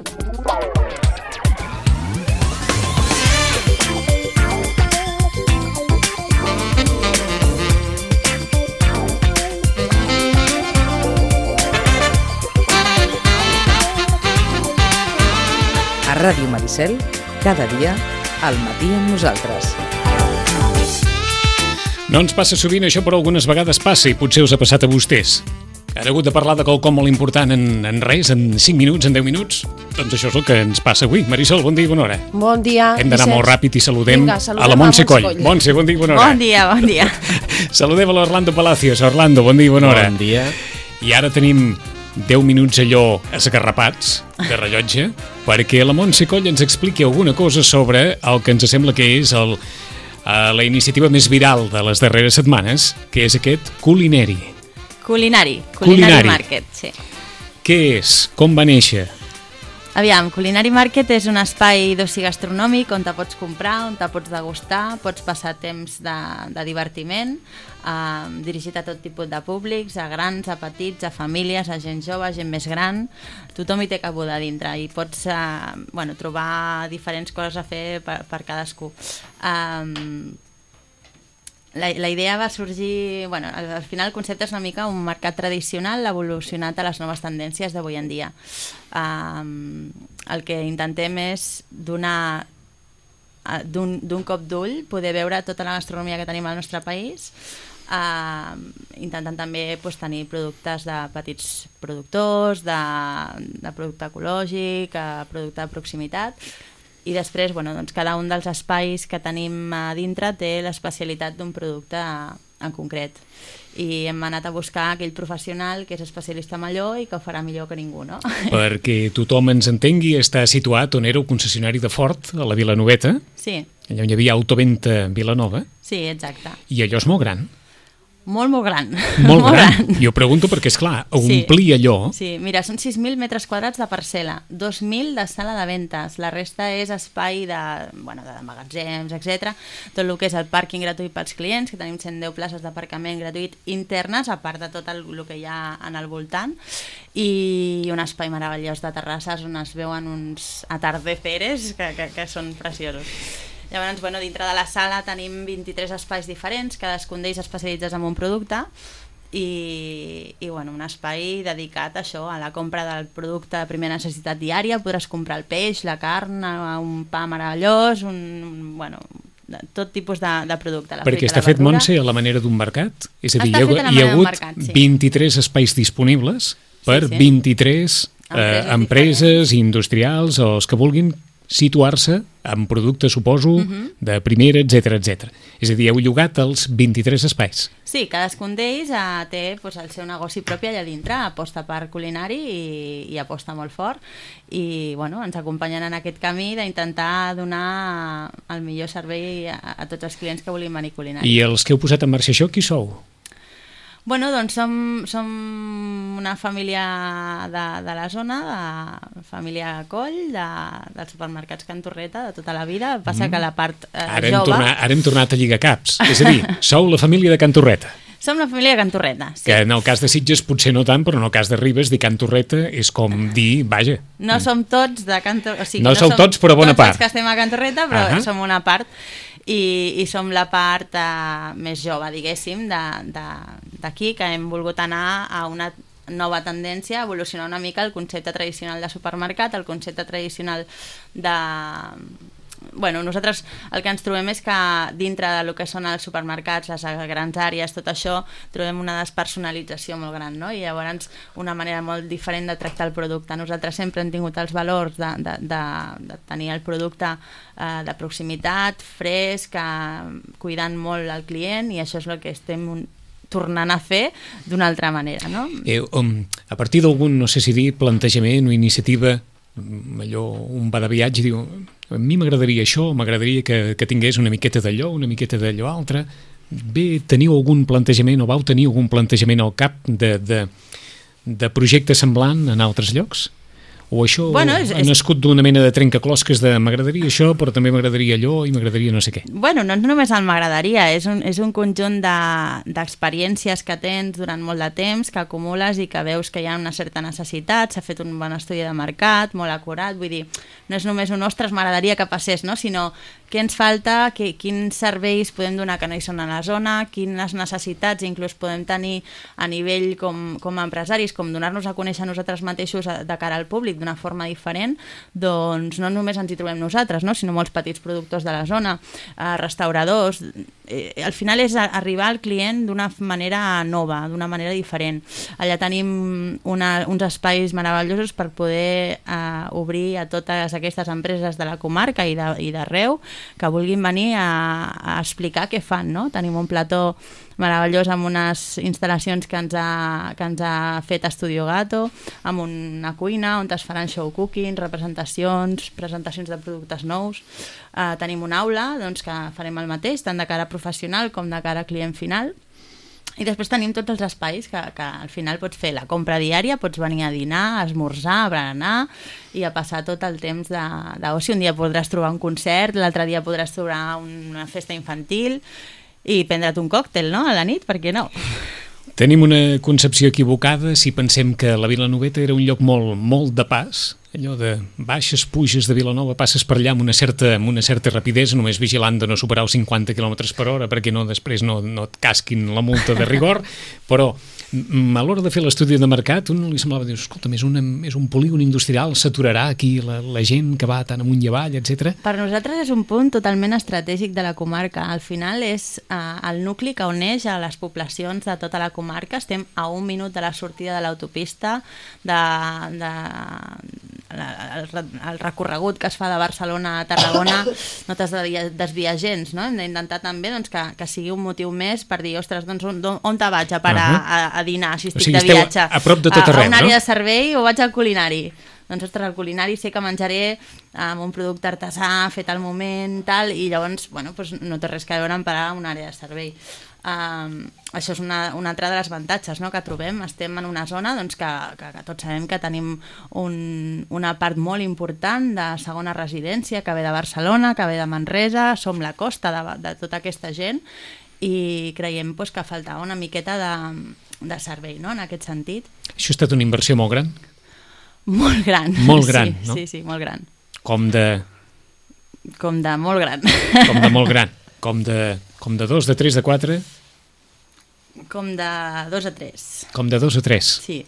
A Ràdio Maricel, cada dia, al matí amb nosaltres. No ens passa sovint, això però algunes vegades passa i potser us ha passat a vostès. Han hagut de parlar de quelcom molt important en res, en 5 minuts, en 10 minuts? Doncs això és el que ens passa avui. Marisol, bon dia i bona hora. Bon dia. Hem d'anar molt ràpid i saludem a la Montse Coll. Montse, bon dia i bona hora. Bon dia. Saludem a l'Orlando Palacios. Orlando, bon dia i bona hora. Bon dia. I ara tenim 10 minuts allò esgarrapats de rellotge perquè la Montse Coll ens expliqui alguna cosa sobre el que ens sembla que és la iniciativa més viral de les darreres setmanes, que és aquest Culinary. Culinary Market, sí. Què és? Com va néixer? Aviam, Culinary Market és un espai d'oci gastronòmic on te pots comprar, on te pots degustar, pots passar temps de divertiment, dirigit a tot tipus de públics, a grans, a petits, a famílies, a gent jove, a gent més gran. Tothom hi té cabuda dintre i pots trobar diferents coses a fer per cadascú. La idea va sorgir... al final el concepte és una mica un mercat tradicional evolucionat a les noves tendències d'avui en dia. El que intentem és donar d'un cop d'ull, poder veure tota la gastronomia que tenim al nostre país, intentant també tenir productes de petits productors, de producte ecològic, producte de proximitat. I després, cada un dels espais que tenim a dintre té l'especialitat d'un producte en concret. I hem anat a buscar aquell professional que és especialista en allò i que ho farà millor que ningú, no? Perquè tothom ens entengui, està situat on era el concessionari de Ford, a la Vilanoveta. Sí. Allà on hi havia Autoventa Vilanova. Sí, exacte. I allò és molt gran. Molt gran. Molt gran. Jo pregunto perquè, esclar, omplir allò... Sí, mira, són 6.000 metres quadrats de parcel·la, 2.000 de sala de ventes, la resta és espai de magatzems, etc. Tot el que és el pàrquing gratuït pels clients, que tenim 110 places d'aparcament gratuït internes, a part de tot el que hi ha en el voltant, i un espai meravellós de terrasses on es veuen uns atardeceres que són preciosos. Llavors, dintre de la sala tenim 23 espais diferents, cadascun d'ells especialitzats en un producte i un espai dedicat a això, a la compra del producte de primera necessitat diària. Podràs comprar el peix, la carn, un pa meravellós, tot tipus de producte. Perquè està fet, Montse, a la manera d'un mercat? És a dir, hi ha hagut 23 espais disponibles per 23 empreses industrials o els que vulguin situar-se amb productes, suposo, de primera, etc. És a dir, heu llogat els 23 espais. Sí, cadascun d'ells té el seu negoci propi allà dintre, aposta per culinari i aposta molt fort i ens acompanyen en aquest camí d'intentar donar el millor servei a tots els clients que vulguin venir culinari. I els que heu posat en marxa això, qui sou? Som una família de la zona, de família Coll, dels supermercats Can Torreta, de tota la vida. Passa que la part jove... Ara hem tornat a lligar caps. És a dir, sou la família de Can Torreta. Som la família de Can Torreta, sí. Que en el cas de Sitges potser no tant, però en el cas de Ribes dir Can Torreta és com dir, vaja... No som tots de Can Torreta... No sou tots, però bona part. Tots que estem a Can Torreta, però som una part... I som la part més jove, diguéssim, d'aquí, que hem volgut anar a una nova tendència, evolucionar una mica el concepte tradicional de supermercat, el concepte tradicional de... Nosaltres el que ens trobem és que dintre del que són els supermercats, les grans àrees, tot això, trobem una despersonalització molt gran, no? I llavors una manera molt diferent de tractar el producte. Nosaltres sempre hem tingut els valors de tenir el producte de proximitat, fresc, cuidant molt el client, i això és el que estem tornant a fer d'una altra manera, no? A partir d'algun, no sé si dir, plantejament o iniciativa, allò, un va de viatge i diu, a mi m'agradaria això, m'agradaria que tingués una miqueta d'allò, una miqueta d'allò altre. Bé, teniu algun plantejament o vau tenir algun plantejament al cap de projecte semblant en altres llocs? O això ha nascut d'una mena de trencaclosques de m'agradaria això, però també m'agradaria allò i m'agradaria no sé què? Bueno, no només el m'agradaria, és un conjunt d'experiències que tens durant molt de temps, que acumules i que veus que hi ha una certa necessitat, s'ha fet un bon estudi de mercat, molt acurat, vull dir, no és només un ostres, m'agradaria que passés, no? Sinó què ens falta, quins serveis podem donar que no hi són a la zona, quines necessitats inclús podem tenir a nivell com a empresaris, com donar-nos a conèixer nosaltres mateixos de cara al públic d'una forma diferent, doncs no només ens hi trobem nosaltres, no? Sinó molts petits productors de la zona, restauradors. Al final és arribar al client d'una manera nova, d'una manera diferent. Allà tenim uns espais meravellosos per poder obrir a totes aquestes empreses de la comarca i d'arreu que vulguin venir a explicar què fan, no? Tenim un plató meravellós amb unes instal·lacions que ens ha fet Estudio Gato, amb una cuina on es faran show cooking, presentacions de productes nous. Tenim una aula doncs, que farem el mateix, tant de cara professional com de cara a client final. I després tenim tots els espais que al final pots fer la compra diària, pots venir a dinar, a esmorzar, a berenar i a passar tot el temps d'oci. Un dia podràs trobar un concert, l'altre dia podràs trobar una festa infantil i prendre't un còctel, no?, a la nit, per què no? Tenim una concepció equivocada si pensem que la Vilanoveta era un lloc molt de pas, allò de baixes, puges de Vilanova, passes per allà amb una certa rapidesa, només vigilant de no superar els 50 km/h perquè després no et casquin la multa de rigor, però a l'hora de fer l'estudi de mercat un li semblava dir, escolta, és un polígon industrial, s'aturarà aquí la gent que va tant amunt i avall, etc. Per nosaltres és un punt totalment estratègic de la comarca. Al final és el nucli que uneix a les poblacions de tota la comarca. Estem a 1 minut de la sortida de l'autopista, el recorregut que es fa de Barcelona a Tarragona no t'has de desviar gens, no? Hem d'intentar també doncs, que sigui un motiu més per dir, ostres, doncs on te vaig a parar a dinar si estic de viatge? A prop de tot arreu, a una àrea de servei o vaig al culinari? Doncs, ostres, al culinari sé que menjaré amb un producte artesà, fet al moment, tal, i llavors, bueno, doncs no té res que veure amb parar a una àrea de servei. Això és un altre dels avantatges, no?, que trobem. Estem en una zona doncs, que tots sabem que tenim una part molt important de segona residència que ve de Barcelona, que ve de Manresa, som la costa de tota aquesta gent i creiem doncs, que faltava una miqueta de servei, no?, en aquest sentit. Això ha estat una inversió molt gran? Molt gran. Molt gran, sí, no? Sí, molt gran. Com de molt gran. Com de molt gran. Com de 2, de 3, de 4? Com de 2 a 3. Com de 2 a 3? Sí.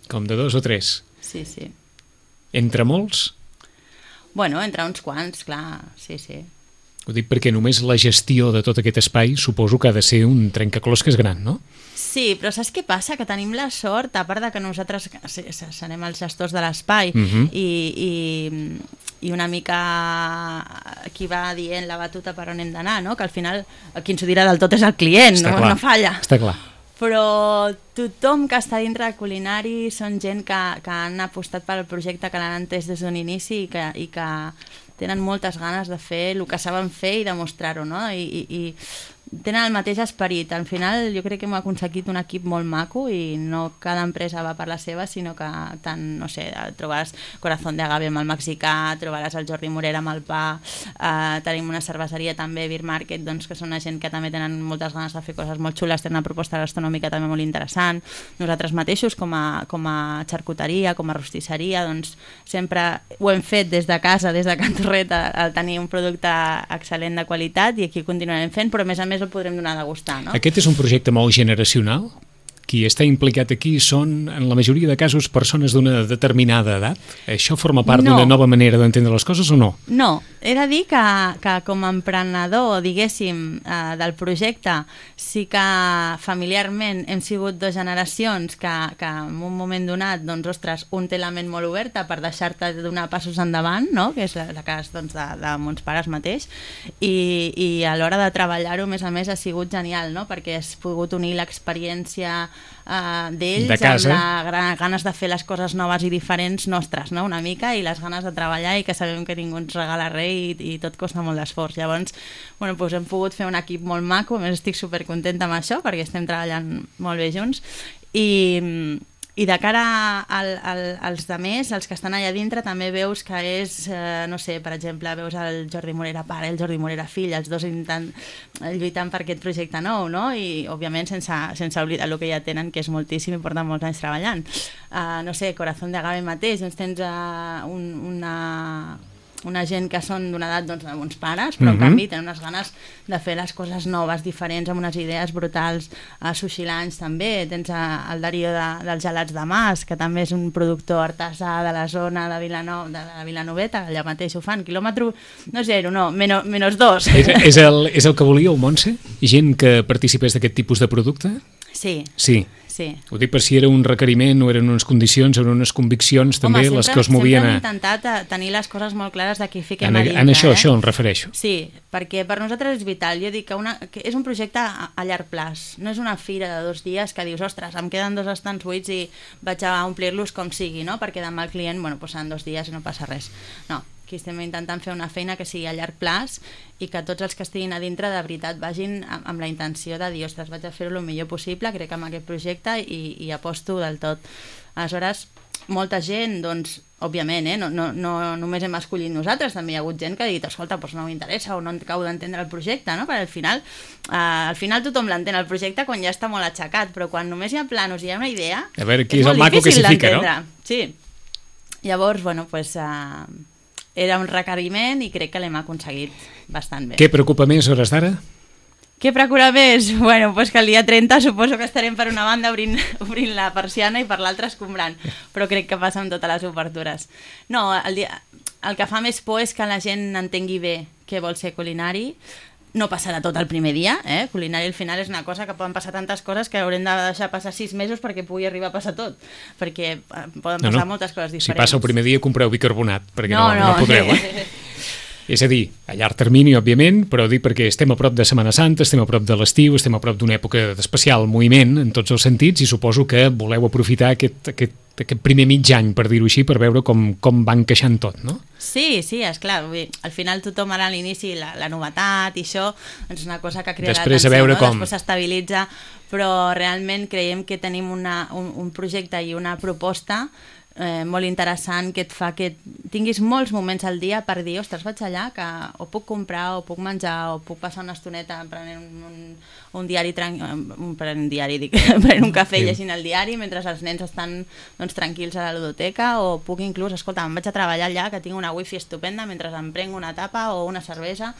Com de 2 o 3? Sí, sí. Entre molts? Bueno, entre uns quants, clar, sí. Ho dic perquè només la gestió de tot aquest espai suposo que ha de ser un trencaclosques gran, no? Sí, però saps què passa? Que tenim la sort, a part de que nosaltres serem els gestors de l'espai i una mica qui va dient la batuta per on hem d'anar, no? Que al final qui ens ho dirà del tot és el client, no falla. Està clar. Però tothom que està dintre de culinari són gent que han apostat pel projecte, que l'han entès des d'un inici i que tenen moltes ganes de fer el que saben fer i demostrar-ho, no? I tenen el mateix esperit. Al final jo crec que hem aconseguit un equip molt maco i no cada empresa va per la seva, sinó que tant, no sé, trobaràs Corazón de Agave amb el mexicà, trobaràs el Jordi Morera amb el pa, tenim una cerveseria també, Beer Market, doncs, que són una gent que també tenen moltes ganes de fer coses molt xules, tenen una proposta gastronòmica també molt interessant. Nosaltres mateixos, com a xarcuteria, com a rostisseria, doncs sempre ho hem fet des de casa, des de Can Torret, al tenir un producte excel·lent de qualitat, i aquí continuarem fent, però a més el podrem donar a degustar, no? Aquest és un projecte molt generacional? Qui està implicat aquí són, en la majoria de casos, persones d'una determinada edat? Això forma part d'una nova manera d'entendre les coses o no? No, he de dir que com a emprenedor, diguéssim, del projecte, sí que familiarment hem sigut 2 generacions que en un moment donat, doncs, ostres, un té la ment molt oberta per deixar-te donar passos endavant, no?, que és el cas doncs, de mons pares mateix, i a l'hora de treballar-ho, a més, ha sigut genial, no?, perquè has pogut unir l'experiència d'ells amb les ganes de fer les coses noves i diferents nostres, no?, una mica, i les ganes de treballar, i que sabem que ningú ens regala res i tot costa molt d'esforç. Llavors, bueno, doncs hem pogut fer un equip molt maco, a més estic supercontenta amb això perquè estem treballant molt bé junts, I de cara als demés, els que estan allà dintre, també veus que és, no sé, per exemple, veus el Jordi Morera pare, el Jordi Morera fill, els dos lluitant per aquest projecte nou, no? I, òbviament, sense oblidar el que ja tenen, que és moltíssim i porten molts anys treballant. No sé, Corazón de Agave mateix, doncs tens una gent que són d'una edat de bons pares, però en canvi tenen unes ganes de fer les coses noves, diferents, amb unes idees brutals. A Sushi Lunch també tens el Darío dels gelats de Mas, que també és un productor artesà de la zona de la Vilanoveta, allà mateix ho fan, quilòmetre, no zero, no, -2. És el que volíeu, Montse? Gent que participés d'aquest tipus de producte? Sí. Ho dic per si era un requeriment o eren unes condicions o eren unes conviccions també les que us movien a... Sempre hem intentat tenir les coses molt clares de qui fiquem a dintre. En això em refereixo. Sí, perquè per nosaltres és vital. Jo dic que és un projecte a llarg plaç. No és una fira de 2 dies que dius, ostres, em queden 2 estants buits i vaig a omplir-los com sigui, no? Perquè demà el client, seran 2 dies i no passa res. No, aquí estem intentant fer una feina que sigui a llarg plaç i que tots els que estiguin a dintre de veritat vagin amb la intenció de dir, ostres, vaig a fer-ho el millor possible, crec amb aquest projecte i aposto del tot. Aleshores, molta gent, doncs, òbviament, no només hem escollit nosaltres, també hi ha hagut gent que ha dit, escolta, doncs no m'interessa o no acabo d'entendre el projecte, no? Perquè al final tothom l'entén el projecte quan ja està molt aixecat, però quan només hi ha planos i hi ha una idea, a veure qui és el maco que s'hi fica, no? Sí. Llavors, era un requeriment i crec que l'hem aconseguit bastant bé. Què preocupa més a hores d'ara? Què preocupa més? Bueno, doncs que el dia 30 suposo que estarem per una banda obrint la persiana i per l'altra escombrant, però crec que passa amb totes les obertures. No, el que fa més por és que la gent entengui bé què vol ser culinari. No passarà tot el primer dia, Culinari al final és una cosa que poden passar tantes coses que haurem de deixar passar 6 mesos perquè pugui arribar a passar tot, perquè poden passar moltes coses diferents. Si passa el primer dia compreu bicarbonat, perquè no podreu, És a dir, a llarg termini, òbviament, però dic perquè estem a prop de Setmana Santa, estem a prop de l'estiu, estem a prop d'una època d'especial moviment en tots els sentits i suposo que voleu aprofitar aquest primer mig any, per dir-ho així, per veure com va encaixant tot, no? Sí, esclar. Al final tothom ara a l'inici la novetat i això és una cosa que crea després l'atenció, després s'estabilitza, però realment creiem que tenim un projecte i una proposta molt interessant que et fa que tinguis molts moments al dia per dir, ostres, vaig allà que o puc comprar, o puc menjar, o puc passar una estoneta prenent un diari prenent un cafè llegint el diari mentre els nens estan tranquils a la ludoteca, o puc inclús, escolta, em vaig a treballar allà que tinc una wifi estupenda mentre em prenc una tapa o una cervesa.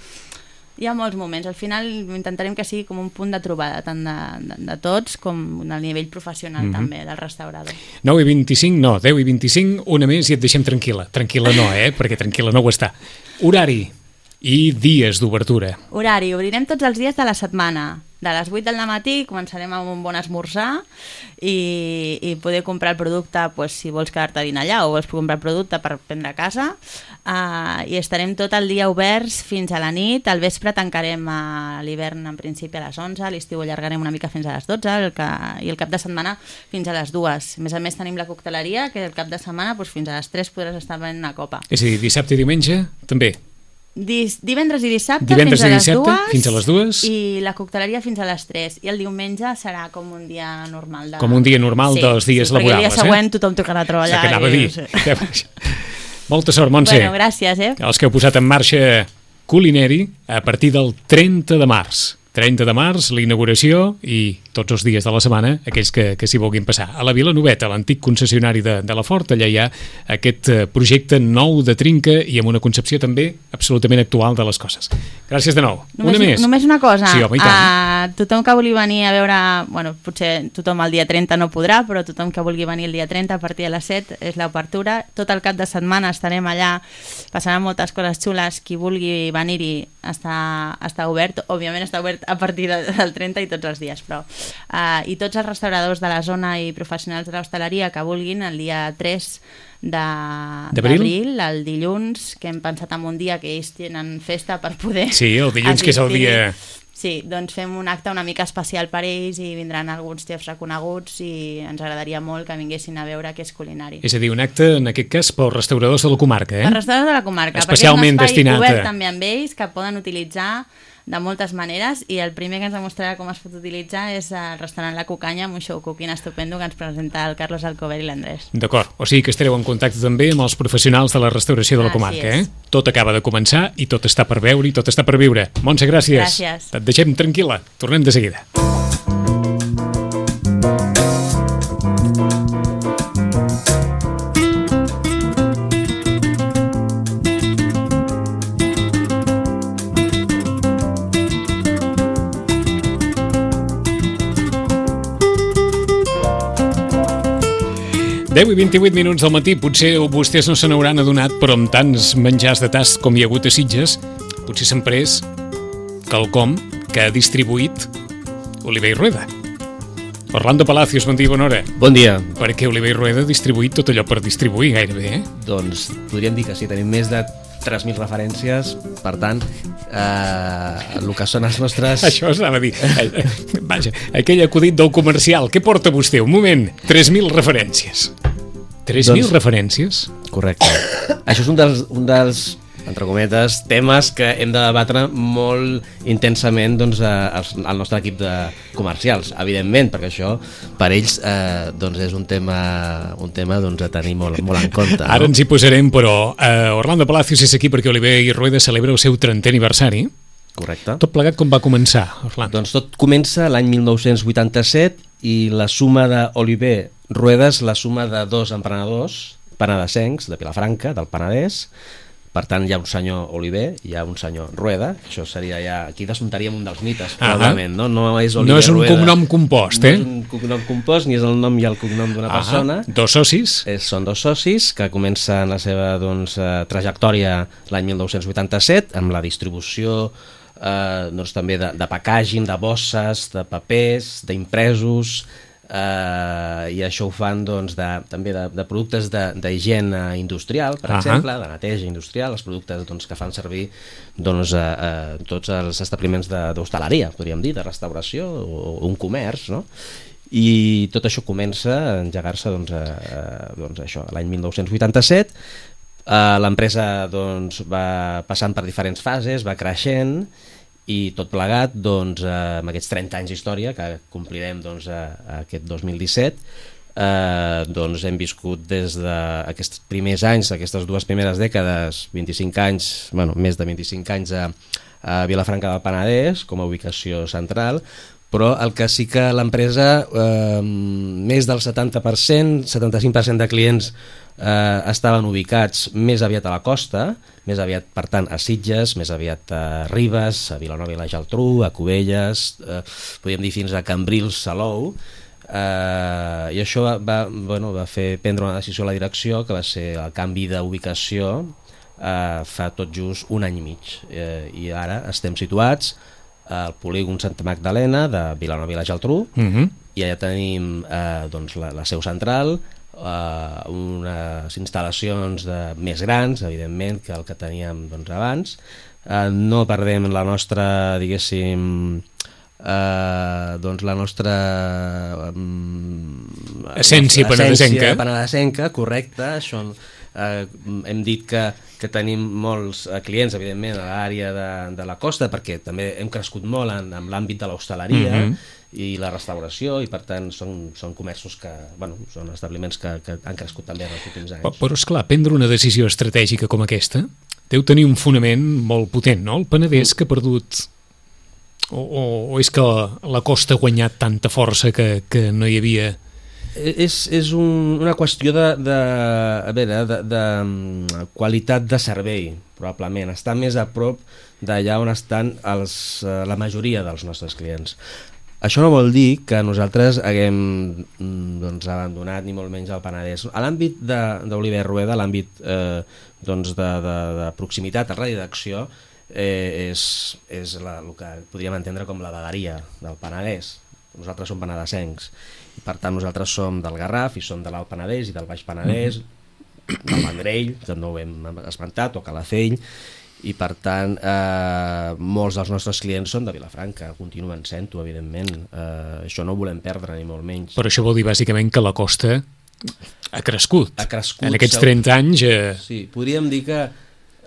Hi ha molts moments. Al final intentarem que sigui com un punt de trobada tant de tots com a nivell professional també del restaurador. 10 i 25, una més i et deixem tranquil·la. Tranquil·la no, perquè tranquil·la no ho està. Horari i dies d'obertura. Horari, obrirem tots els dies de la setmana. De les 8 del matí començarem amb un bon esmorzar i poder comprar el producte si vols quedar-te a dinar allà o vols comprar el producte per prendre a casa, i estarem tot el dia oberts fins a la nit. Al vespre tancarem a l'hivern en principi a les 11, a l'estiu allargarem una mica fins a les 12 i el cap de setmana fins a les 2. A més tenim la cocteleria, que el cap de setmana fins a les 3 podràs estar venent una copa. És a dir, dissabte i diumenge també? Divendres i dissabte fins a les 2 i la cocteleria fins a les 3, i el diumenge serà com un dia normal. Com un dia normal dels dies laborables. Perquè el dia següent tothom tocarà a treballar. Que anava a dir. Molta sort, Montse. Bueno, gràcies. Els que heu posat en marxa Culinari a partir del 30 de març. 30 de març, la inauguració, i tots els dies de la setmana, aquells que s'hi vulguin passar. A la Vilanoveta, l'antic concessionari de la Ford, allà hi ha aquest projecte nou de trinca i amb una concepció també absolutament actual de les coses. Gràcies de nou. Només una cosa. Sí, home, i tant. Tothom que vulgui venir a veure, potser tothom el dia 30 no podrà, però tothom que vulgui venir el dia 30 a partir de les 7 és l'obertura. Tot el cap de setmana estarem allà, passaran moltes coses xules. Qui vulgui venir-hi està obert. Òbviament està obert a partir del 30 i tots els dies, però i tots els restauradors de la zona i professionals de l'hostaleria que vulguin, el dia 3 d'abril, el dilluns, que hem pensat en un dia que ells tenen festa per poder... Sí, el dilluns, que és el dia... Sí, doncs fem un acte una mica especial per ells i vindran alguns xefs reconeguts i ens agradaria molt que vinguessin a veure què és Culinari. És a dir, un acte, en aquest cas, pels restauradors de la comarca, Els restauradors de la comarca, especialment perquè és un espai destinat obert també amb ells, que poden utilitzar de moltes maneres, i el primer que ens demostrarà com es pot utilitzar és el restaurant La Cucanya, amb un show cooking estupendo que ens presenta el Carlos Alcover i l'Andrés. D'acord, o sigui que estareu en contacte també amb els professionals de la restauració de la comarca, Tot acaba de començar i tot està per veure i tot està per viure. Montse, gràcies. Gràcies. Et deixem tranquil·la, tornem de seguida. Deu i 28 minuts del matí, potser vostès no se n'hauran adonat, però amb tants menjars de tast com hi ha hagut a Sitges, potser s'han pres quelcom que ha distribuït Oliver i Rueda. Orlando Palacios, bon dia, bona hora. Bon dia. Perquè Oliver i Rueda ha distribuït tot allò per distribuir gairebé, Doncs podríem dir que sí, tenim més de 3.000 referències, per tant, el que són els nostres... Això s'anava a dir. Vaja, aquell acudit del comercial. Què porta vostè? Un moment. 3.000 referències. 3.000 referències? Correcte. Això és un dels entre cometes, temes que hem de debatre molt intensament doncs, al nostre equip de comercials, evidentment, perquè això per ells doncs és un tema doncs, a tenir molt en compte. No? Ara ens hi posarem, però Orlando Palacios és aquí perquè Oliver i Rueda celebra el seu 30è aniversari. Correcte. Tot plegat com va començar, Orlando? Doncs tot comença l'any 1987 i la suma d'Oliver Rueda és la suma de dos emprenedors penedesencs de Vilafranca, del Penedès. Per tant, hi ha un senyor Oliver, hi ha un senyor Rueda. Això seria ja... Aquí desmuntaríem un dels mites, probablement, no? No és Oliver no és un Rueda, cognom compost, No és un cognom compost, ni és el nom i el cognom d'una persona. Dos socis? Són dos socis que comencen la seva trajectòria l'any 1987 amb la distribució també de packaging, de bosses, de papers, d'impresos, i això ho fan també de productes d'higiene industrial, per exemple, de neteja industrial, els productes que fan servir tots els establiments d'hostaleria, podríem dir, de restauració o un comerç, no? I tot això comença a engegar-se l'any 1987. L'empresa va passant per diferents fases, va creixent, i tot plegat, amb aquests 30 anys d'història que complirem aquest 2017, hem viscut des d'aquests primers anys, aquestes dues primeres dècades, 25 anys, més de 25 anys a Vilafranca del Penedès com a ubicació central, però el que sí que l'empresa, més del 70%, 75% de clients estaven ubicats més aviat a la costa, més aviat, per tant, a Sitges, més aviat a Ribes, a Vilanova i la Geltrú, a Cubelles, podríem dir fins a Cambrils, Salou, i això va fer prendre una decisió a la direcció, que va ser el canvi d'ubicació fa tot just un any i mig, i ara estem situats al polígon Santa Magdalena de Vilanova i la Geltrú, i allà tenim la seu central, unes instal·lacions més grans, evidentment, que el que teníem abans. No perdem la nostra, diguéssim, la nostra essència penedesenca, correcte. Això, hem dit que tenim molts clients, evidentment, a l'àrea de la costa, perquè també hem crescut molt en l'àmbit de l'hostaleria i la restauració, i per tant són comerços que, són establiments que han crescut també en els últims anys. Però esclar, prendre una decisió estratègica com aquesta deu tenir un fonament molt potent, no? El Penedès que ha perdut, o és que la costa ha guanyat tanta força que no hi havia... És una qüestió de qualitat de servei, probablement. Està més a prop d'allà on estan la majoria dels nostres clients. Això no vol dir que nosaltres haguem abandonat ni molt menys el Penedès. A l'àmbit d'Oliver Rueda, l'àmbit de proximitat, el radi d'acció, és el que podríem entendre com la vegueria del Penedès. Nosaltres som penedesencs i per tant nosaltres som del Garraf i som de l'Alt Penedès i del Baix Penedès, del Vendrell, també ho hem esmentat, o Calafell, i per tant molts dels nostres clients són de Vilafranca, continuen sent-ho, evidentment. Això no ho volem perdre ni molt menys. Però això vol dir bàsicament que la costa ha crescut. Ha crescut en aquests 30 anys. Sí, podríem dir que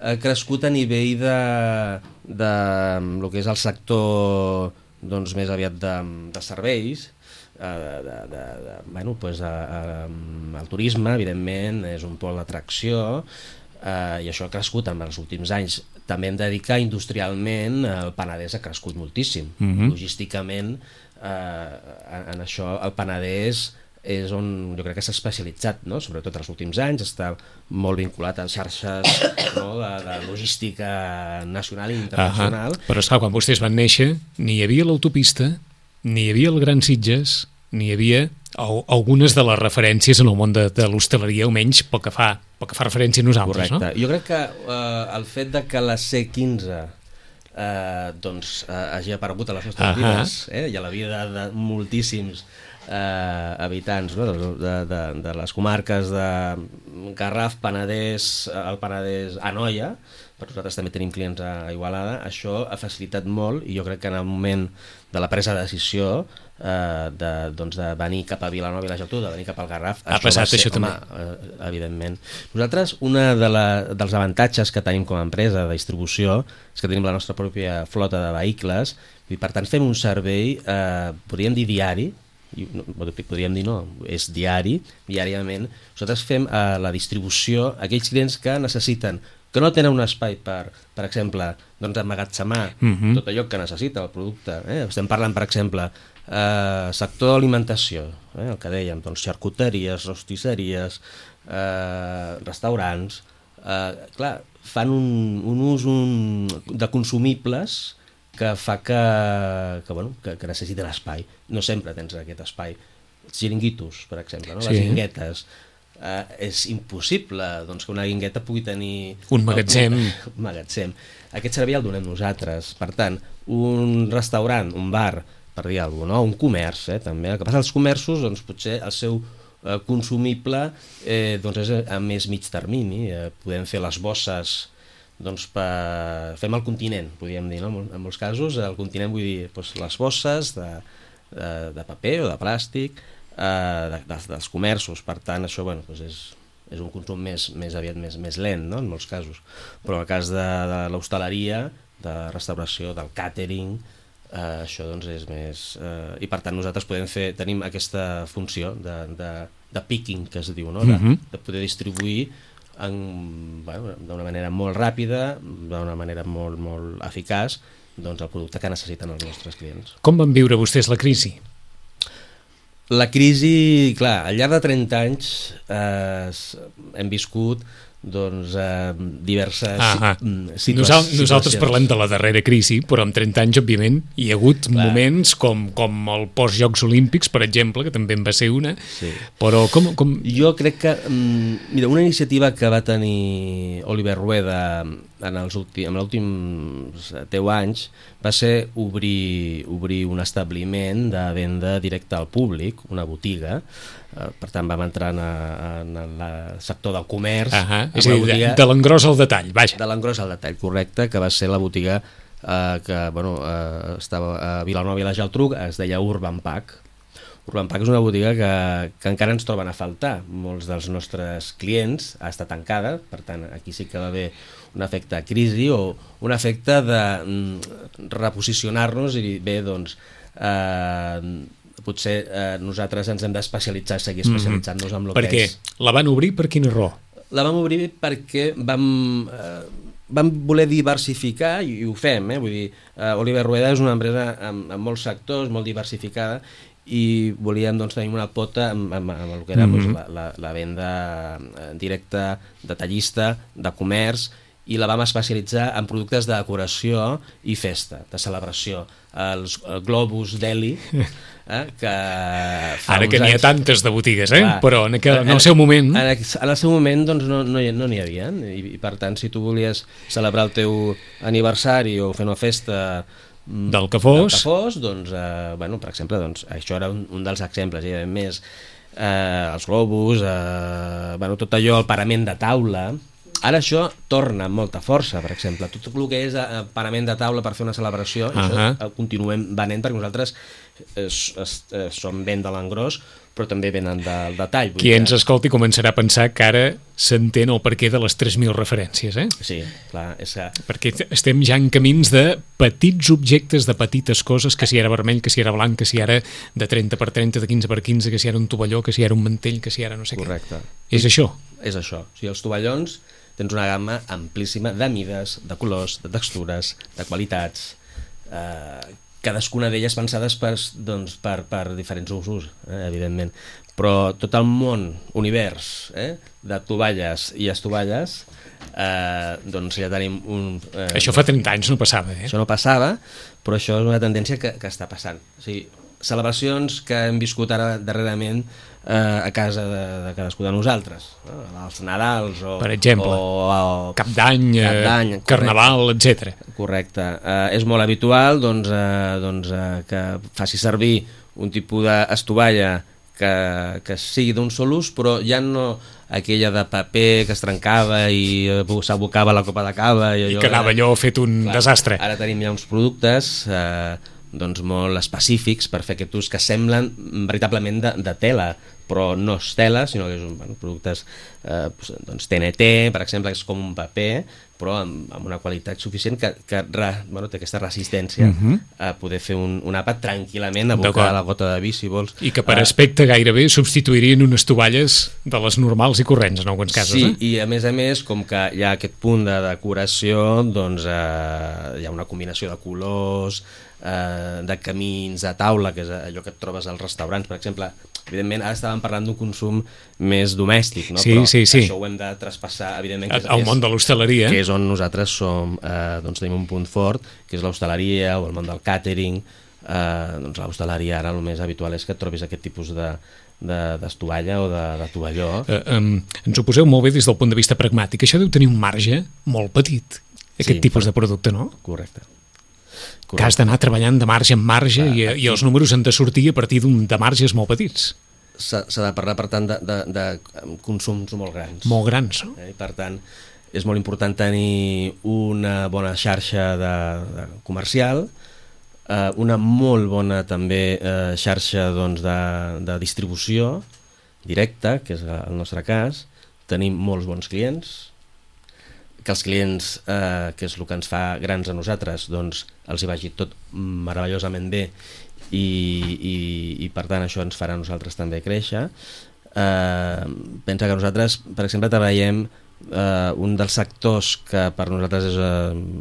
ha crescut a nivell de lo que és el sector doncs, més aviat de serveis, el turisme, evidentment, és un pol d'atracció, i això ha crescut en els últims anys. També hem de dir que industrialment el Penedès ha crescut moltíssim. Logísticament, en això el Penedès és on jo crec que s'ha especialitzat, no? Sobretot els últims anys, està molt vinculat a xarxes de logística nacional i internacional. Però esclar, quan vostès van néixer ni hi havia l'autopista, ni hi havia el Gran Sitges, ni hi havia algunes de les referències en el món de l'hostaleria, almenys pel que fa referència a nosaltres. Correcte. No? Jo crec que el fet de que la C15 hagi aparegut a les nostres vides, i a la vida de moltíssims habitants, no? de les comarques de Garraf, Penedès, el Penedès, Anoia, però nosaltres també tenim clients a Igualada. Això ha facilitat molt, i jo crec que en el moment de la presa de decisió de venir cap a Vilanova i la Geltrú, de venir cap al Garraf, ha passat això també. Evidentment. Nosaltres, un dels avantatges que tenim com a empresa de distribució és que tenim la nostra pròpia flota de vehicles, i per tant fem un servei, podríem dir diari, podríem dir no, és diàriament. Nosaltres fem la distribució a aquells clients que necessiten, que no tenen un espai per exemple, emmagatzemar tot allò que necessita el producte. Estem parlant, per exemple, sector d'alimentació, el que dèiem, xarcuteries, rostisseries, restaurants, clar, fan un ús de consumibles que fa que necessita l'espai. No sempre tens aquest espai. Els xiringuitos, per exemple, no? Les guinguetes. És impossible que una guingueta pugui tenir un magatzem. Aquest servei el donem nosaltres. Per tant, un restaurant, un bar, per dir alguna cosa, un comerç, també. El que passa als comerços, potser el seu consumible és a més mig termini. Podem fer les bosses, fem el continent, podríem dir, no? En molts casos el continent, vull dir, les bosses de paper o de plàstic dels comerços. Per tant, això és un consum més aviat més lent, no? En molts casos, però en el cas de l'hostaleria, de restauració, del càtering, això és més... I per tant nosaltres tenim aquesta funció de picking, que es diu, no? De poder distribuir d'una manera molt ràpida, d'una manera molt eficaç, el producte que necessiten els nostres clients. Com van viure vostès la crisi? La crisi, clar, al llarg de 30 anys hem viscut diverses situacions. Nosaltres parlem de la darrera crisi, però en 30 anys, òbviament, hi ha hagut moments com el post-Jocs Olímpics, per exemple, que també en va ser una, però com... Jo crec que, mira, una iniciativa que va tenir Oliver Rueda en els últims 10 anys va ser obrir un establiment de venda directa al públic, una botiga. Per tant vam entrar en el sector del comerç, és a dir, de l'engròs al detall, vaja. De l'engròs al detall, correcte, que va ser la botiga que estava a Vilanova i la Geltrú, es deia Urban Pack. Urban Pack és una botiga que encara ens troben a faltar. Molts dels nostres clients ha estat tancada, per tant aquí sí que va haver un efecte de crisi o un efecte de reposicionar-nos i dir, bé, potser nosaltres ens hem d'especialitzar, seguir especialitzant-nos en el que és. Perquè la van obrir per quina raó? La vam obrir perquè vam voler diversificar, i ho fem, vull dir, Oliver Rueda és una empresa amb molts sectors, molt diversificada, i volíem tenir una pota amb el que era la venda directa, detallista, de comerç, i la vam especialitzar en productes de decoració i festa, de celebració. Els globus Deli, que ara que n'hi ha tantes de botigues, però en el seu moment... En el seu moment no n'hi havia, i per tant, si tu volies celebrar el teu aniversari o fer una festa del que fos, per exemple, això era un dels exemples, i a més els globus, tot allò, el parament de taula. Ara això torna amb molta força, per exemple. Tot el que és parament de taula per fer una celebració, això el continuem venent perquè nosaltres són venda a l'engròs, però també venen del detall. Qui ens escolti començarà a pensar que ara s'entén el perquè de les 3.000 referències, eh? Sí, clar. Perquè estem ja en camins de petits objectes, de petites coses, que si era vermell, que si era blanc, que si era de 30x30, de 15x15, que si era un tovalló, que si era un mantell, que si era no sé Correcte. Què. És això? És això. O sigui, els tovallons tens una gamma amplíssima de mides, de colors, de textures, de qualitats, cadascuna d'elles pensades per diferents usos, evidentment. Però tot el món, univers, de tovalles i estovalles, doncs ja tenim Això fa 30 anys no passava, Això no passava, però això és una tendència que està passant. O sigui, celebracions que hem viscut ara darrerament a casa de cadascú de nosaltres, els Nadals per exemple, Cap d'Any, Carnaval, etc. Correcte. És molt habitual que faci servir un tipus d'estovalla que sigui d'un sol ús, però ja no aquella de paper que es trencava i s'abocava la copa de cava i que anava allò fet un desastre. Ara tenim ja uns productes molt específics per fer aquest ús que semblen veritablement de tela, però no és tela, sinó que són productes TNT, per exemple, que és com un paper, però amb una qualitat suficient que té aquesta resistència a poder fer un àpat tranquil·lament, abocar la gota de vi, si vols. I que per aspecte gairebé substituirien unes tovalles de les normals i corrents, en alguns casos. Sí, i a més, com que hi ha aquest punt de decoració, doncs hi ha una combinació de colors, de camins, de taula, que és allò que et trobes als restaurants, per exemple. Evidentment, ara estàvem parlant d'un consum més domèstic, no? Sí, però això ho hem de traspassar, evidentment, al món de l'hostaleria, que és on nosaltres tenim un punt fort, que és l'hostaleria o el món del càtering. L'hostaleria ara el més habitual és que et trobis aquest tipus d'estovalla o de tovalló. Ens ho poseu molt bé des del punt de vista pragmàtic. Això deu tenir un marge molt petit, aquest tipus de producte, no? Correcte. Que has d'anar treballant de marge en marge i els números han de sortir a partir de marges molt petits. S'ha de parlar, per tant, de consums molt grans. Molt grans, no? I, per tant, és molt important tenir una bona xarxa comercial, una molt bona també xarxa de distribució directa, que és el nostre cas. Tenim molts bons clients, que els clients, que és el que ens fa grans a nosaltres, doncs els hi vagi tot meravellosament bé i per tant això ens farà a nosaltres també créixer. Pensa que nosaltres, per exemple, treballem un dels sectors que per nosaltres és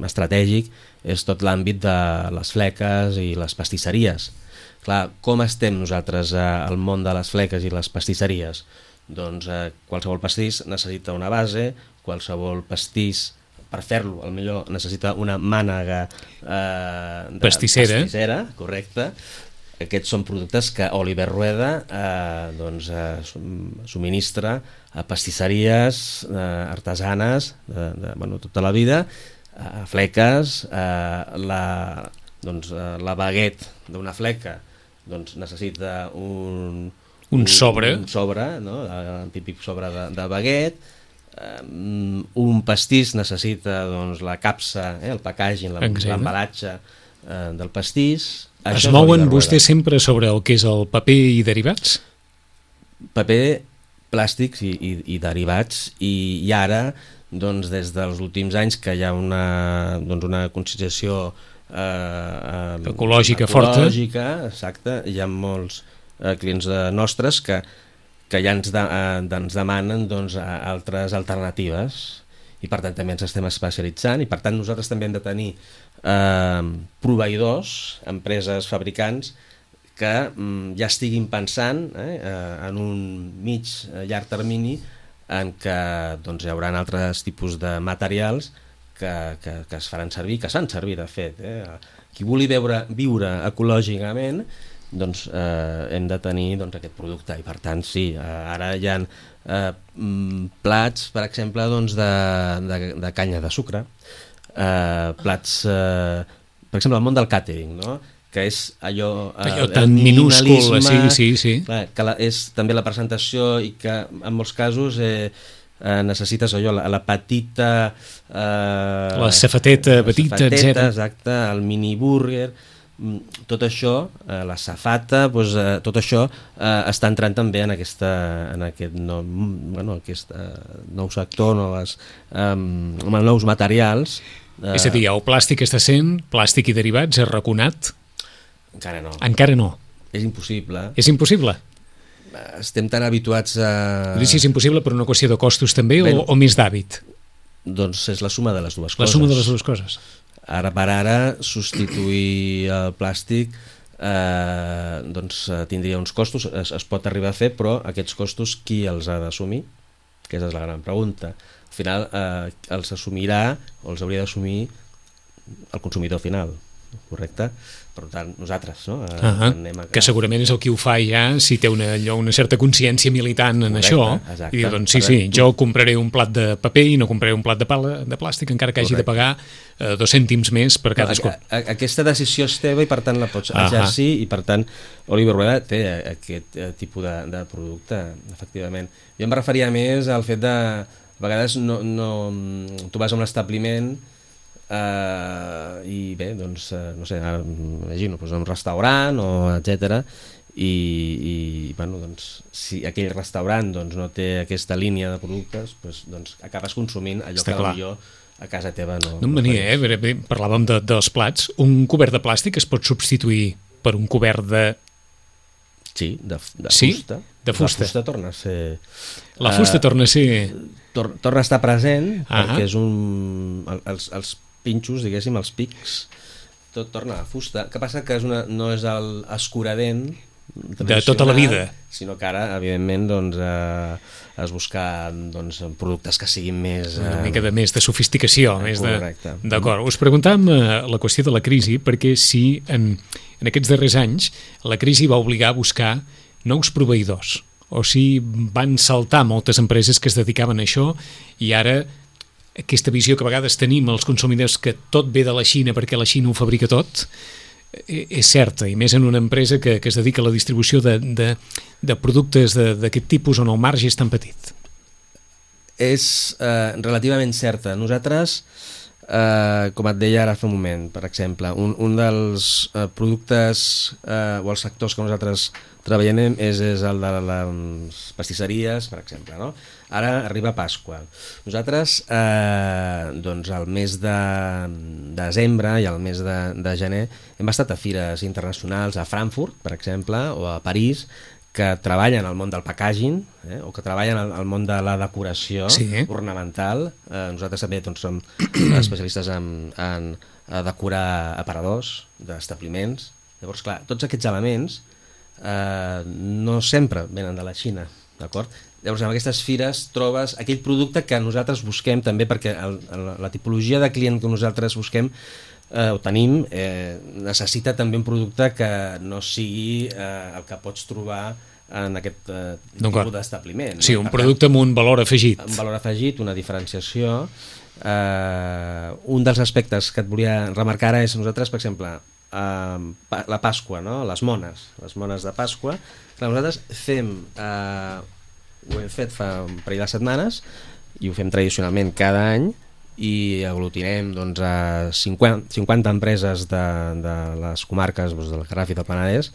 estratègic, és tot l'àmbit de les fleques i les pastisseries. Clar, com estem nosaltres al món de les fleques i les pastisseries? Doncs qualsevol pastís necessita una base, qualsevol pastís, per fer-lo, potser necessita una mànega pastissera, correcte. Aquests són productes que Oliver Rueda subministra a pastisseries artesanes tota la vida, a fleques. La baguette d'una fleca necessita un sobre, el típic sobre de baguette. Un pastís necessita la capsa, el packaging, l'embalatge del pastís. Es mouen vostès sempre sobre el que és el paper i derivats? Paper, plàstics i derivats, i ara, des dels últims anys que hi ha una conscienciació ecològica forta, exacte, hi ha molts clients nostres que ja ens demanen altres alternatives, i per tant també ens estem especialitzant, i per tant nosaltres també hem de tenir proveïdors, empreses, fabricants que ja estiguin pensant en un llarg termini en què hi haurà altres tipus de materials que es faran servir, que es fan servir de fet. Qui vulgui viure ecològicament, hem de tenir aquest producte, i per tant sí, ara hi ha plats, per exemple, de canya de sucre, plats, per exemple, el món del càtering, no? Que és allò tan minúscul, sí. Que és també la presentació, i que en molts casos necessites allò, la petita, la safateta petita, etc. Exacte, el mini búrguer. tot això, la safata, doncs, tot això està entrant també en aquest nou sector, nous materials. És a dir, el plàstic està sent, plàstic i derivats, arraconat? Encara no. Encara no. És impossible. És impossible? Estem tan habituats a... Si és impossible per una qüestió de costos també o més d'hàbit? Doncs és la suma de les dues coses. La suma de les dues coses. Ara per ara, substituir el plàstic doncs tindria uns costos, es pot arribar a fer, però aquests costos qui els ha d'assumir? Aquesta és la gran pregunta. Al final els assumirà o els hauria d'assumir el consumidor final, correcte? Per tant, nosaltres, no? Que segurament és el qui ho fa ja si té una certa consciència militant en això. Exacte. I diu, doncs sí, jo compraré un plat de paper i no compraré un plat de plàstic, encara que hagi de pagar 2 cèntims més per cadascú. Aquesta decisió és teva i per tant la pots exercir i per tant Oliver Rueda té aquest tipus de producte, efectivament. Jo em referia més al fet de a vegades tu vas a un establiment i bé, doncs no sé, ara imagino, un restaurant o etcètera i bueno, doncs si aquell restaurant doncs, no té aquesta línia de productes, doncs acabes consumint allò que potser a casa teva no em venia, parlàvem dels plats. Un cobert de plàstic es pot substituir per un cobert de... Sí, de fusta. De fusta. La fusta torna a ser... La fusta torna a ser... Torna a estar present perquè és els pinxos, diguéssim, els pics, tot torna a fusta. El que passa que no és l'escuradent de tota la vida, sinó que ara, evidentment, doncs, es busquen productes que siguin més... Una mica més de sofisticació. Correcte. D'acord. Us preguntàvem la qüestió de la crisi, perquè si en aquests darrers anys la crisi va obligar a buscar nous proveïdors, o si van saltar moltes empreses que es dedicaven a això i ara aquesta visió que a vegades tenim els consumidors que tot ve de la Xina perquè la Xina ho fabrica tot és certa, i més en una empresa que es dedica a la distribució de productes d'aquest tipus on el marge és tan petit. És relativament certa. Nosaltres, com et deia ara fa un moment, per exemple, un dels productes o els sectors que nosaltres treballem és el de les pastisseries, per exemple, no? Ara arriba Pasqua. Nosaltres, doncs, al mes de desembre i al mes de gener hem estat a fires internacionals a Frankfurt, per exemple, o a París, que treballen al món del packaging o que treballen al món de la decoració ornamental. Nosaltres també doncs, som especialistes en decorar aparadors d'establiments. Llavors, clar, tots aquests elements no sempre venen de la Xina, d'acord? Llavors, en aquestes fires trobes aquell producte que nosaltres busquem també, perquè la tipologia de client que nosaltres busquem o tenim necessita també un producte que no sigui el que pots trobar en aquest tipus d'establiment. Sí, un producte amb un valor afegit. Un valor afegit, una diferenciació. Un dels aspectes que et volia remarcar ara és nosaltres, per exemple, la Pasqua, no? Les mones de Pasqua. Nosaltres fem... ho hem fet fa un parell de setmanes i ho fem tradicionalment cada any i aglutinem doncs, a 50 empreses de les comarques doncs, del Garraf i del Penedès,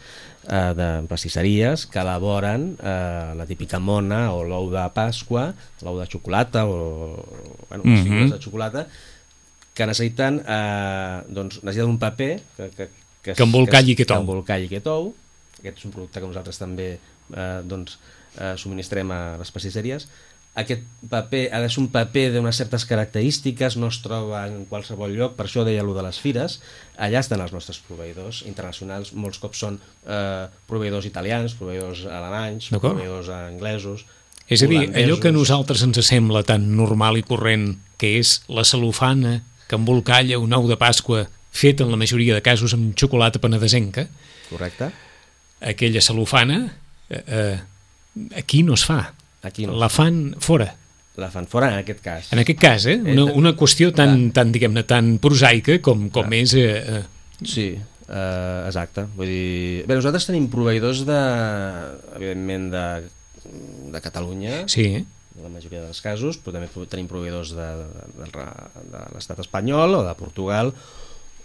de pastisseries que elaboren la típica mona o l'ou de Pasqua, l'ou de xocolata o figures de xocolata, que necessiten un paper que embolcalli aquest ou. Aquest és un producte que nosaltres també subministrem a les pastisseries. Aquest paper ha de ser un paper d'unes certes característiques, no es troba en qualsevol lloc, per això deia allò de les fires. Allà estan els nostres proveïdors internacionals, molts cops són proveïdors italians, proveïdors alemanys, proveïdors anglesos. És a dir, allò que a nosaltres ens sembla tan normal i corrent, que és la cel·lofana que embolcalla un ou de Pasqua fet en la majoria de casos amb xocolata penedesenca. Correcte. Aquella cel·lofana aquí no es fa. La fan fora. La fan fora en aquest cas. En aquest cas, una qüestió tan diguem-ne, tan prosaica com és... Sí, exacte. Vull dir... Bé, nosaltres tenim proveïdors evidentment de Catalunya, en la majoria dels casos, però també tenim proveïdors de l'estat espanyol o de Portugal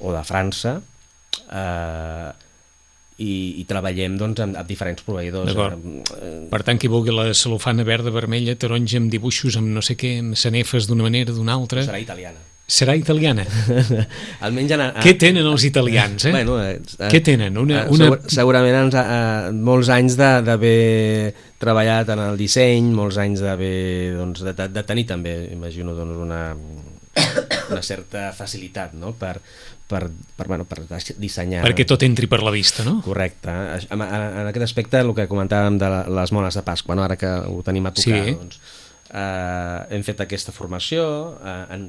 o de França i treballem doncs, amb diferents proveïdors. Per tant, qui vulgui la cel·lofana verda, vermella, taronja, amb dibuixos, amb no sé què, amb sanefes d'una manera, d'una altra... Serà italiana. Serà italiana? Almenys què tenen els italians? Bueno, què tenen? Segurament molts anys d'haver treballat en el disseny, molts anys d'haver doncs, de tenir també, imagino, doncs, una certa facilitat, no? per dissenyar. Perquè tot entri per la vista, no? Correcte. En aquest aspecte, el que comentàvem de les mones de Pasqua, no? Ara que ho tenim a tocar, sí. Doncs, hem fet aquesta formació,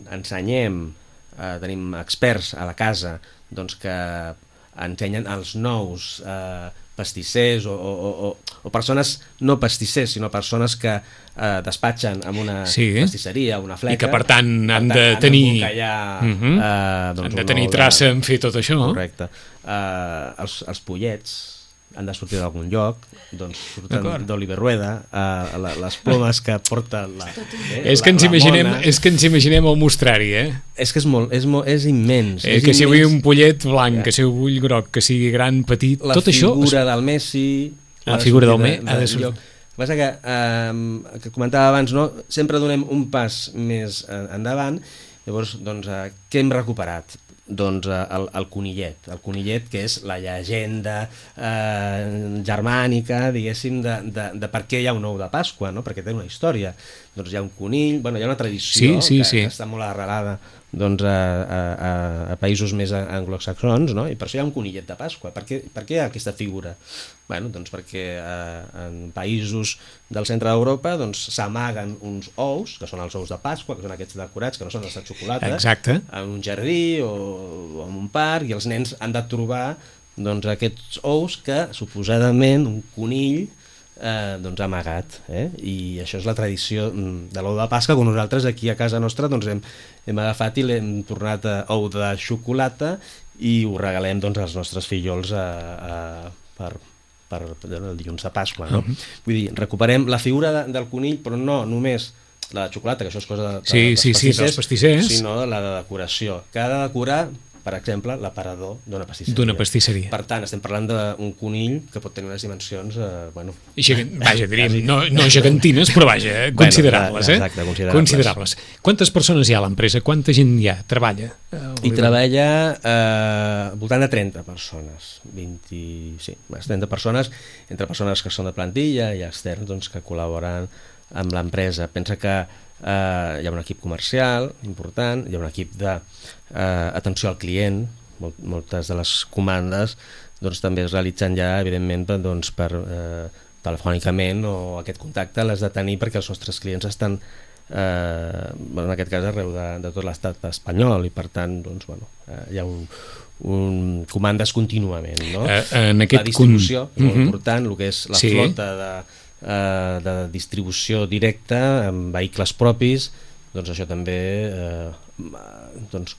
ensenyem, tenim experts a la casa doncs, que ensenyen els nous pastissers o persones no pastissers, sinó persones que despatxen en una pastisseria, una fleca, i que per tant han de tenir han de tenir traça en fer tot això. Correcte. Els pollets han de sortir d'algun lloc, doncs surten d'Oliver Rueda, les plomes que porta és que ens imaginem el mostrari, és que és immens, que si vull un pollet blanc, que si vull groc, que sigui gran, petit, tot això... La figura del Messi, la figura del Messi ha de sortir. El que passa que comentava abans, no? Sempre donem un pas més endavant. Llavors, doncs, què hem recuperat? Doncs el conillet, que és la llegenda germànica, diguéssim, de per què hi ha un ou de Pasqua, no? Perquè té una història. Doncs hi ha un conill, hi ha una tradició que està molt arrelada doncs, a països més anglosaxons, no? I per això hi ha un conillet de Pasqua. Per què hi ha aquesta figura? Doncs perquè en països del centre d'Europa s'amaguen uns ous, que són els ous de Pasqua, que són aquests decorats, que no són els de xocolata, en un jardí o en un parc, i els nens han de trobar aquests ous que suposadament un conill ha amagat, i això és la tradició de l'ou de Pasqua, que nosaltres aquí a casa nostra hem agafat i l'hem tornat a ou de xocolata i ho regalem als nostres fillols per el dilluns de Pasqua, no? Vull dir, recuperem la figura del conill, però no només la de xocolata, que això és cosa dels pastissers, sinó la de decoració, que ha de decorar, per exemple, l'aparador d'una pastisseria. Per tant, estem parlant d'un conill que pot tenir unes dimensions, diríem, no gegantines, però considerables. Exacte, considerables. Quantes persones hi ha a l'empresa? Quanta gent hi ha? Treballa? Hi treballa voltant de 30 persones. 30 persones, entre persones que són de plantilla i externs que col·laboren amb l'empresa. Pensa que hi ha un equip comercial important, hi ha un equip d'atenció al client, moltes de les comandes també es realitzen ja evidentment per telefònicament, o aquest contacte l'has de tenir perquè els nostres clients estan en aquest cas arreu de tot l'estat espanyol, i per tant hi ha comandes contínuament, no? La distribució és molt important, el que és la flota de distribució directa amb vehicles propis, això també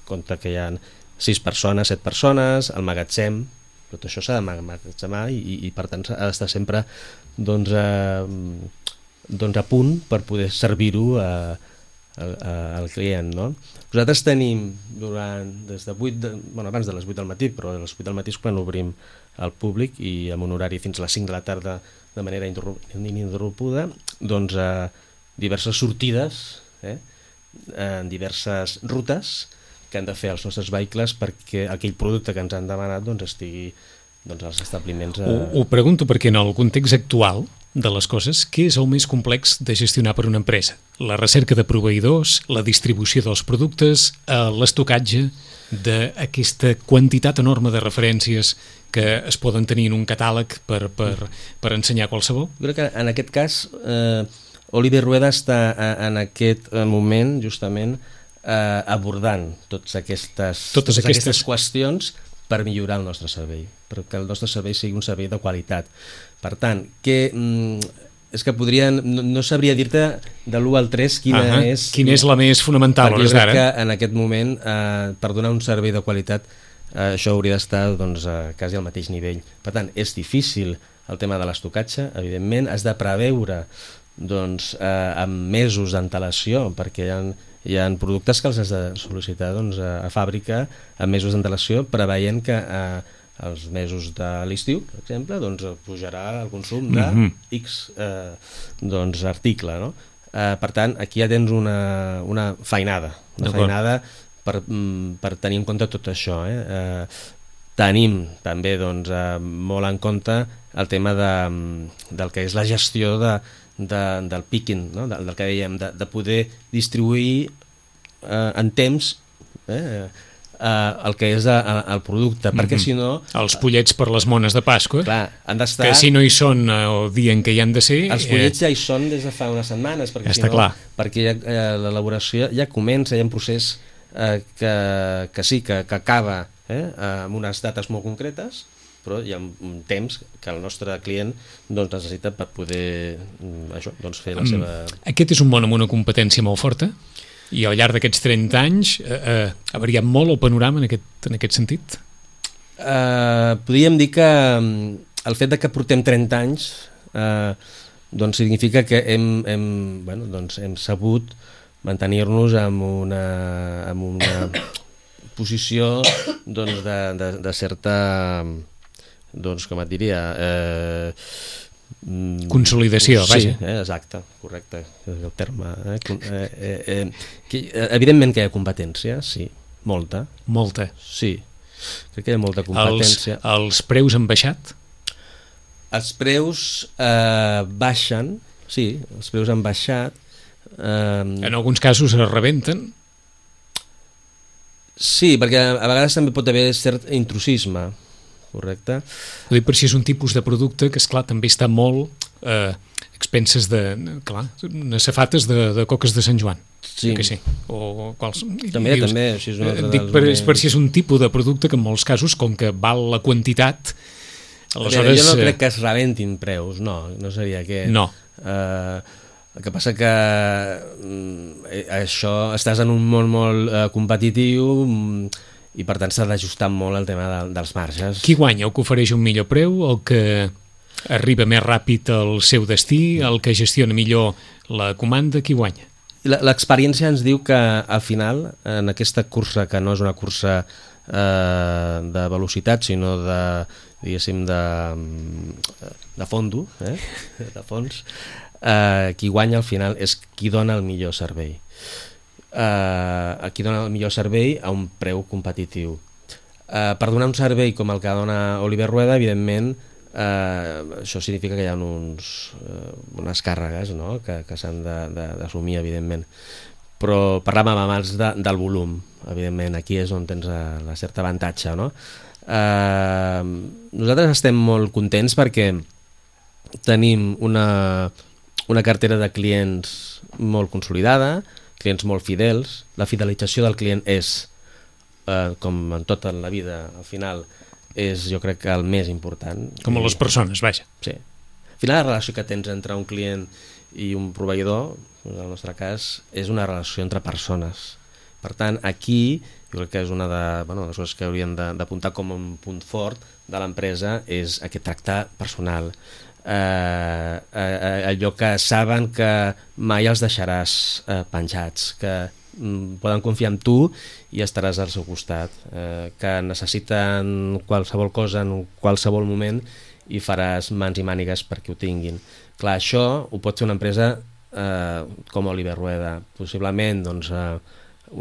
compta que hi ha 6 persones, 7 persones, el magatzem, tot això s'ha d'emmagatzemar i per tant ha d'estar sempre a punt per poder servir-ho al client, no? Nosaltres tenim des de abans de les 8 del matí, però a les 8 del matí és quan obrim al públic, i amb un horari fins a les 5 de la tarda de manera ininterrompuda, diverses sortides en diverses rutes que han de fer els nostres vehicles perquè aquell producte que ens han demanat estigui als establiments. Ho pregunto perquè en el context actual de les coses, què és el més complex de gestionar per una empresa? La recerca de proveïdors, la distribució dels productes, l'estocatge d'aquesta quantitat enorme de referències que es poden tenir en un catàleg per ensenyar qualsevol? Jo crec que en aquest cas Oliver Rueda està en aquest moment justament abordant totes aquestes qüestions per millorar el nostre servei, perquè el nostre servei sigui un servei de qualitat. Per tant, és que no sabria dir-te de l'1 al 3 quina és la més fonamental, perquè jo crec que en aquest moment per donar un servei de qualitat això hauria d'estar quasi al mateix nivell. Per tant, és difícil el tema de l'estocatge, evidentment has de preveure amb mesos d'antelació, perquè hi ha productes que els has de sol·licitar a fàbrica amb mesos d'antelació, preveient que els mesos de l'estiu, per exemple, doncs pujarà el consum de X article, no? Per tant, aquí ja tens una feinada per tenir en compte tot això. Tenim també molt en compte el tema del que és la gestió del picking, no? del que dèiem, de poder distribuir en temps el que és el producte, perquè si no... Els pollets per les mones de Pasqua, clar, han d'estar... que si no hi són el dia en què hi han de ser... Els pollets ja hi són des de fa unes setmanes, perquè si no, perquè l'elaboració ja comença, hi ha un procés que acaba amb unes dates molt concretes, però hi ha un temps que el nostre client necessita per poder fer la seva... Aquest és un món amb una competència molt forta, i al llarg d'aquests 30 anys ha variat molt el panorama en aquest sentit? Podríem dir que el fet que portem 30 anys significa que hem sabut mantenir-nos en una posició de certa, com et diria... consolidació, vaja. Sí, exacte, correcte, és el terme. Evidentment que hi ha competència, sí, molta. Molta. Sí, crec que hi ha molta competència. Els preus han baixat? Els preus baixen, sí, els preus han baixat. En alguns casos es rebenten? Sí, perquè a vegades també pot haver cert intrusisme, correcte. Ho dic per si és un tipus de producte que, esclar, també està molt expenses clar, unes safates de coques de Sant Joan. Sí. Que sí. O quals... També, així és un altre dic per si és un tipus de producte que en molts casos, com que val la quantitat, aleshores... Jo no crec que es rebentin preus, no seria aquest. No. El que passa que això, estàs en un món molt competitiu, i per tant s'ha d'ajustar molt el tema dels marges. Qui guanya? El que ofereix un millor preu, el que arriba més ràpid al seu destí, el que gestiona millor la comanda, qui guanya? L'experiència ens diu que al final, en aquesta cursa, que no és una cursa de velocitat, sinó diguéssim de fondo, de fons, qui guanya al final és qui dona el millor servei. Aquí dona el millor servei a un preu competitiu. Per donar un servei com el que dona Oliver Rueda, evidentment, això significa que hi ha unes càrregues, no? que s'han d'assumir, evidentment. Però parlàvem abans del volum, evidentment, aquí és on tens la certa avantatge, no? Nosaltres estem molt contents perquè tenim una cartera de clients molt consolidada, clients molt fidels. La fidelització del client és, com en tota la vida, al final, és, jo crec, que el més important. Com a les persones, vaja. Sí. Al final, la relació que tens entre un client i un proveïdor, en el nostre cas, és una relació entre persones. Per tant, aquí, jo crec que és una de les coses que hauríem d'apuntar com un punt fort de l'empresa, és aquest tracte personal. Allò que saben que mai els deixaràs penjats, que poden confiar en tu i estaràs al seu costat, que necessiten qualsevol cosa en qualsevol moment i faràs mans i mànigues perquè ho tinguin. Clar, això ho pot fer una empresa com Oliver Rueda, possiblement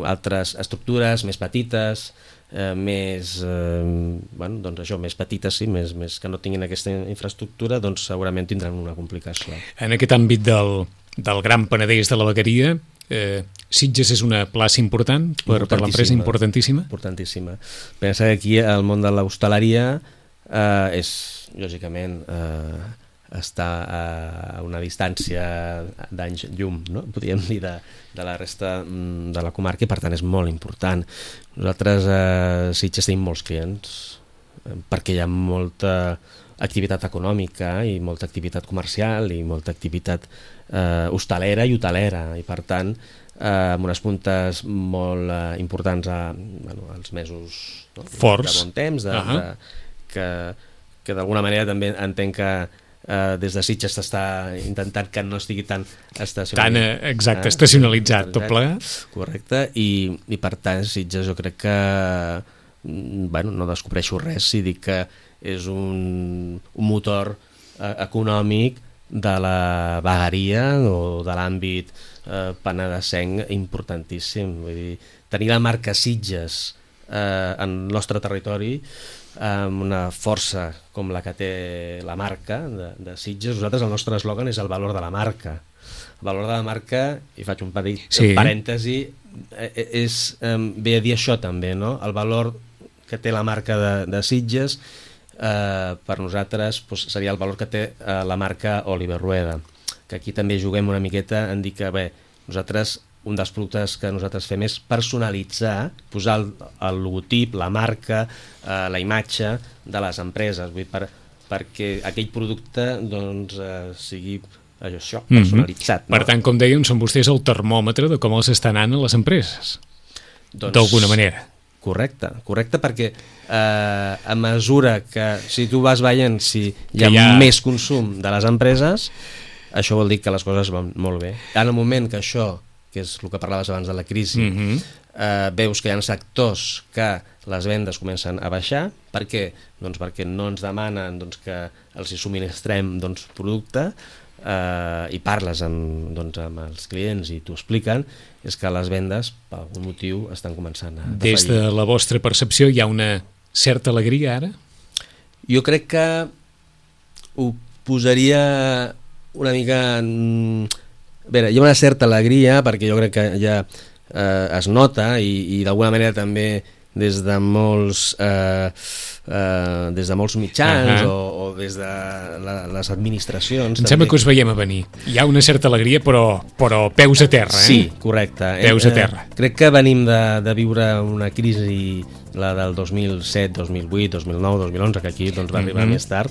altres estructures més petites, més petites, sí, més que no tinguin aquesta infraestructura, doncs segurament tindran una complicació. En aquest àmbit del Gran Penedès de la vegueria, Sitges és una plaça important per l'empresa, importantíssima. Importantíssima. Pensa que aquí el món de l'hostaleria és, lògicament, està a una distància d'anys llum, no? Podríem dir, de la resta de la comarca, i per tant és molt important. Nosaltres a Sitges tenim molts clients perquè hi ha molta activitat econòmica i molta activitat comercial i molta activitat hostalera i hotelera, i per tant amb unes puntes molt importants als mesos forts, de bon temps, que d'alguna manera també entenc que des de Sitges s'està intentant que no estigui tan estacionalitzat. Estacionalitzat, tot plegat. Correcte, i per tant Sitges jo crec que no descobreixo res si dic que és un motor econòmic de la vegueria o de l'àmbit penedesenc importantíssim. Vull dir, tenir la marca Sitges en el nostre territori amb una força com la que té la marca de Sitges. Nosaltres, el nostre eslògan és el valor de la marca. El valor de la marca, i faig un petit parèntesi, ve a dir això també, no? El valor que té la marca de Sitges per nosaltres seria el valor que té la marca Oliver Rueda, que aquí també juguem una miqueta en dir que nosaltres, un dels productes que nosaltres fem és personalitzar, posar el logotip, la marca, la imatge de les empreses, vull dir, perquè aquell producte sigui això, personalitzat. Per tant, com dèiem, són vostès el termòmetre de com els està anant a les empreses, d'alguna manera. Correcte, perquè a mesura que, si tu vas veient si hi ha més consum de les empreses, això vol dir que les coses van molt bé. En el moment que això, que és el que parlaves abans de la crisi, veus que hi ha sectors que les vendes comencen a baixar. Per què? Doncs perquè no ens demanen que els hi subministrem producte, i parles amb els clients i t'ho expliquen, és que les vendes per algun motiu estan començant a defallir. Des de la vostra percepció hi ha una certa alegria ara? Jo crec que ho posaria una mica a veure, hi ha una certa alegria perquè jo crec que ja es nota i d'alguna manera també des de molts mitjans o des de les administracions. Em sembla que us veiem a venir. Hi ha una certa alegria, però peus a terra, Sí, correcte. Peus a terra. Crec que venim de viure una crisi, la del 2007, 2008, 2009, 2011, que aquí va arribar més tard,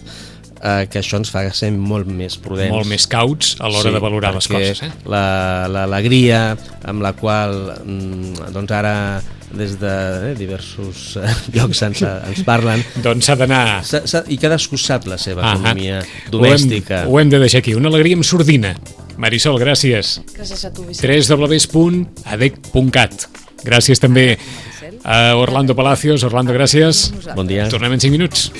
que això ens fa ser molt més prudents. Molt més cauts a l'hora de valorar les coses. L'alegria amb la qual ara des de diversos llocs ens parlen, doncs s'ha d'anar i cadascú sap la seva economia domèstica. Ho hem de deixar aquí, una alegria amb sordina. Marisol, gràcies. Gràcies a tu, Vicent. www.adec.cat. Gràcies també a Orlando Palacios. Orlando, gràcies. Bon dia. Tornem en 5 minuts.